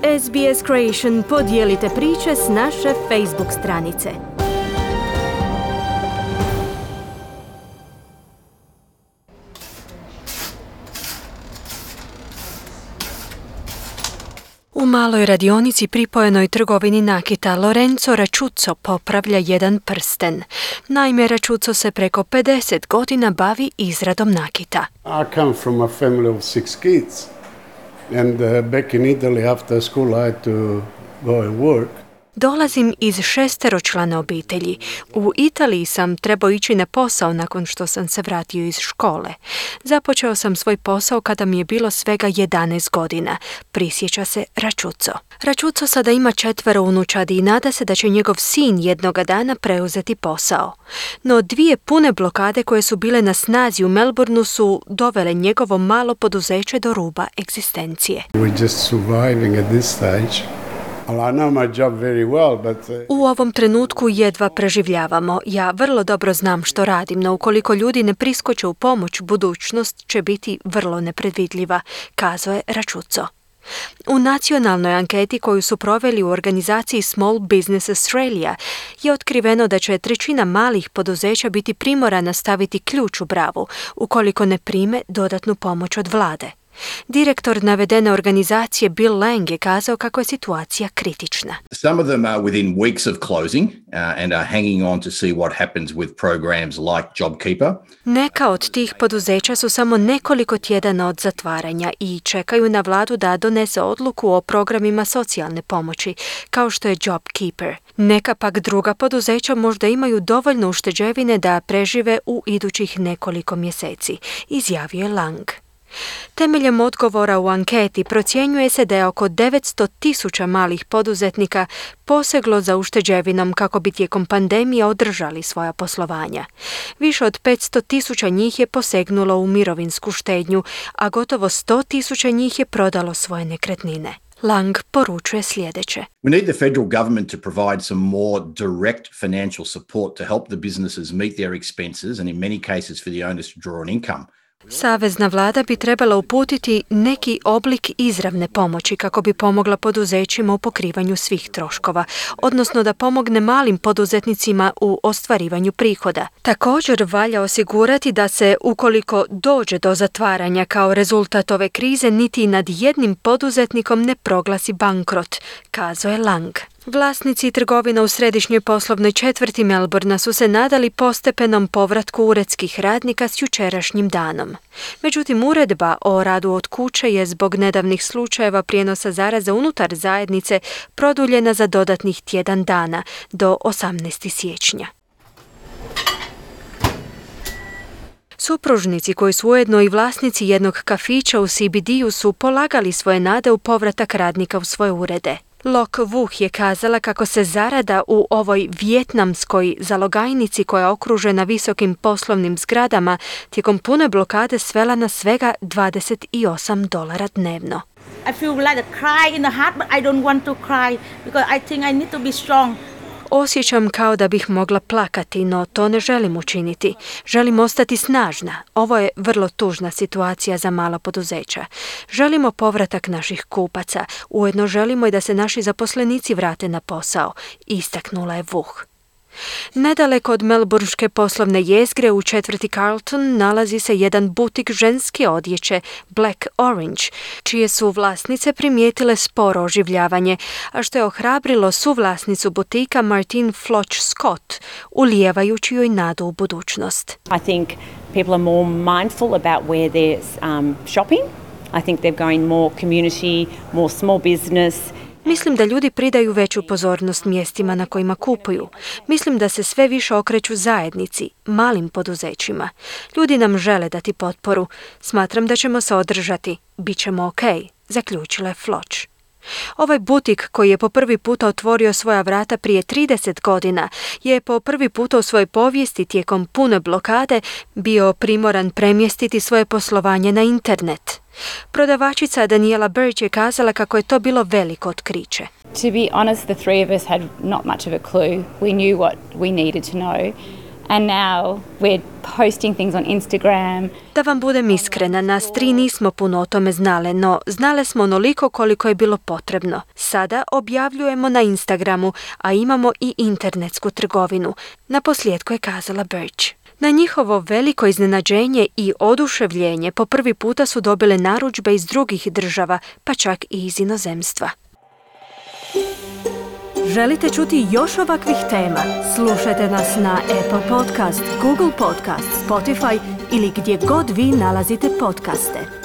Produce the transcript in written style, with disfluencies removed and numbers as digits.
SBS Creation podijelite priče s naše Facebook stranice. U maloj radionici pripojenoj trgovini nakita Lorenzo Racuzzo popravlja jedan prsten. Naime, Racuzzo se preko 50 godina bavi izradom nakita. I come from a family of 6 kids. And back in Italy after school I had to go and work. Dolazim iz 6-člane obitelji. U Italiji sam trebao ići na posao nakon što sam se vratio iz škole. Započeo sam svoj posao kada mi je bilo svega 11 godina, prisjeća se Racuzzo. Racuzzo sada ima 4 unučadi i nada se da će njegov sin jednoga dana preuzeti posao. No 2 pune blokade koje su bile na snazi u Melbourneu su dovele njegovo malo poduzeće do ruba egzistencije. We're just surviving at this stage. I know my job very well, but U ovom trenutku jedva preživljavamo. Ja vrlo dobro znam što radim, no ukoliko ljudi ne priskoče u pomoć, budućnost će biti vrlo nepredvidljiva, kazao je Racuzzo. U nacionalnoj anketi koju su proveli u organizaciji Small Business Australia je otkriveno da će 1/3 malih poduzeća biti primorana staviti ključ u bravu ukoliko ne prime dodatnu pomoć od vlade. Direktor navedene organizacije Bill Lang je kazao kako je situacija kritična. Some of them are within weeks of closing and are hanging on to see what happens with programs like JobKeeper. Neka od tih poduzeća su samo nekoliko tjedana od zatvaranja i čekaju na vladu da donese odluku o programima socijalne pomoći, kao što je JobKeeper. Neka pak druga poduzeća možda imaju dovoljno ušteđevine da prežive u idućih nekoliko mjeseci, izjavio je Lang. Temeljem odgovora u anketi procjenjuje se da je oko 900,000 malih poduzetnika poseglo za ušteđevinom kako bi tijekom pandemije održali svoja poslovanja. Više od 500,000 njih je posegnulo u mirovinsku štednju, a gotovo 100,000 njih je prodalo svoje nekretnine. Lang poručuje sljedeće. We need the federal government to provide some more direct financial support to help the businesses meet their expenses and in many cases for the owners to draw an income. Savezna vlada bi trebala uputiti neki oblik izravne pomoći kako bi pomogla poduzećima u pokrivanju svih troškova, odnosno da pomogne malim poduzetnicima u ostvarivanju prihoda. Također valja osigurati da se, ukoliko dođe do zatvaranja kao rezultat ove krize, niti nad jednim poduzetnikom ne proglasi bankrot, kazao je Lang. Vlasnici trgovina u središnjoj poslovnoj četvrti Melbournea su se nadali postepenom povratku uredskih radnika s jučerašnjim danom. Međutim, uredba o radu od kuće je zbog nedavnih slučajeva prijenosa zaraze unutar zajednice produljena za dodatnih tjedan dana do 18. siječnja. Supružnici koji su ujedno i vlasnici jednog kafića u CBD-u su polagali svoje nade u povratak radnika u svoje urede. Lok Vuh je kazala kako se zarada u ovoj vijetnamskoj zalogajnici koja je okružena visokim poslovnim zgradama tijekom pune blokade svela na svega $28 dnevno. I feel like a cry in the heart, but I don't want to cry because I think I need to be strong. Osjećam kao da bih mogla plakati, no to ne želim učiniti. Želim ostati snažna. Ovo je vrlo tužna situacija za mala poduzeća. Želimo povratak naših kupaca. Ujedno želimo i da se naši zaposlenici vrate na posao, istaknula je Vuh. Nedaleko od melbourneške poslovne jezgre u četvrti Carlton nalazi se jedan butik ženske odjeće Black Orange, čije su vlasnice primijetile sporo oživljavanje, a što je ohrabrilo suvlasnicu butika Martine Floch Scott, ulijevajući joj nadu u budućnost. I think people are more mindful about where they're shopping. I think they're going more community, more small business. Mislim da ljudi pridaju veću pozornost mjestima na kojima kupuju. Mislim da se sve više okreću zajednici, malim poduzećima. Ljudi nam žele dati potporu. Smatram da ćemo se održati. Bićemo okej, zaključila je Floch. Ovaj butik, koji je po prvi puta otvorio svoja vrata prije 30 godina, je po prvi puta u svojoj povijesti tijekom pune blokade bio primoran premjestiti svoje poslovanje na internet. Prodavačica Daniela Birch je kazala kako je to bilo veliko otkriće. To be honest, the three of us had not much of a clue. We knew what we needed to know. And now we're posting things on Instagram. Da vam budem iskrena, nas 3 nismo puno o tome znale, no znale smo onoliko koliko je bilo potrebno. Sada objavljujemo na Instagramu, a imamo i internetsku trgovinu. Naposljetku je kazala Birch. Na njihovo veliko iznenađenje i oduševljenje po prvi puta su dobile narudžbe iz drugih država, pa čak i iz inozemstva. Želite čuti još ovakvih tema? Slušajte nas na Apple Podcast, Google Podcast, Spotify ili gdje god vi nalazite podcaste.